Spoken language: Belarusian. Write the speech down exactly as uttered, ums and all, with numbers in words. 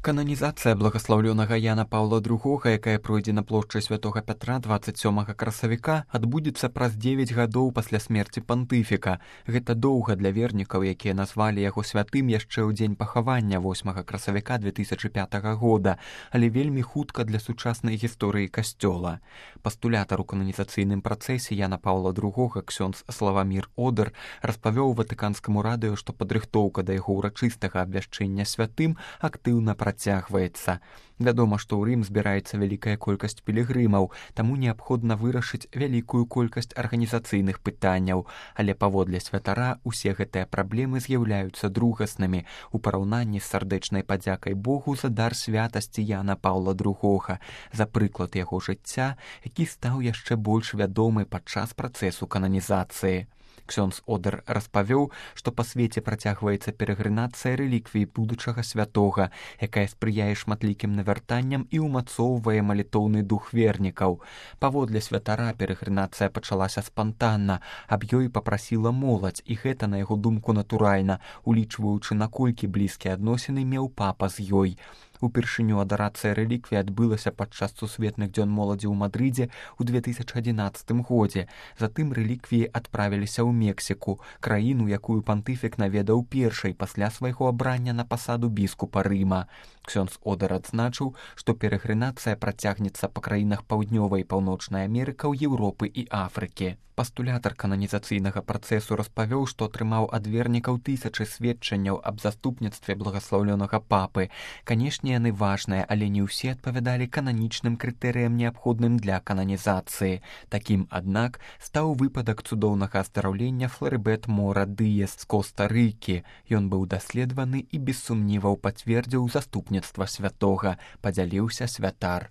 Кананізацыя благаслаўлёнага Яна Паўла другога, якая пройдзе на плошчы святога Пятра дваццаць сёмага красавіка, адбудзецца праз дзевяць гадоў пасля смерці пантыфіка. Гэта доўга для вернікаў, якія назвалі яго святым яшчэ ў дзень пахавання восьмага красавіка две тысячы пятага года, але вельмі хутка для сучаснай гісторыі касцёла. Пастулятар у кананізацыйным працэсе Яна Паўла другога ксёндз Славамір Одэр распавёў ватыканскаму радыё, што падрыхтоўка да яго ўрачыстага абвяшчэння святым актыўна працягваецца. Вядома, што ў Рым збіраецца вялікая колькасць пілігрымаў, таму неабходна вырашыць вялікую колькасць арганізацыйных пытанняў, але паводле святара усе гэтыя праблемы з'яўляюцца другаснымі у параўнанні з сардэчнай падзякай Богу за дар святасці Яна Паўла другога, за прыклад яго жыцця, які стаў яшчэ больш вядомы падчас працэсу кананізацыі. Ксёндз Одэр распавёў, што па свеце працягваецца перагрынацыя рэліквій будучага святога, якая спрыяе шматлікім навяртанням і ўмацоўвае малітоўны дух вернікаў. Паводле святара перагрынацыя пачалася спантанна, аб ёй папрасіла моладзь, і гэта, на яго думку, натуральна, улічваючы, наколькі блізкія адносіны меў папа з ёй. Упершыню адарацыя рэліквій адбылася падчас сусветных дзён моладзі ў Мадрыдзе ў две тысячы адзінаццатым годзе. Затым рэліквіі адправіліся ў Мексіку, краіну, якую пантыфік наведаў першай пасля свайго абрання на пасаду біскупа Рыма. Ксёндз Одэр адзначыў, што перагрынацыя працягнецца па краінах паўднёвай і паўночнай Амерыкаў, Еўропы і Афрыкі. Пастулятар кананізацыйнага працэсу распавёў, што атрымаў ад вернікаў тысячы сведчанняў аб заступніцтве благаслаўлёнага папы. Канешне, яны важныя, але не ўсе адпавядалі кананічным крытэрыям, неабходным для кананізацыі. Такім, аднак, стаў выпадак цудоўнага аздараўлення Флорибет Мора Дыес з Коста-Рыкі. Ён быў даследаваны і без сумніваў пацвердзіў заступніцтва святога, падзяліўся святар.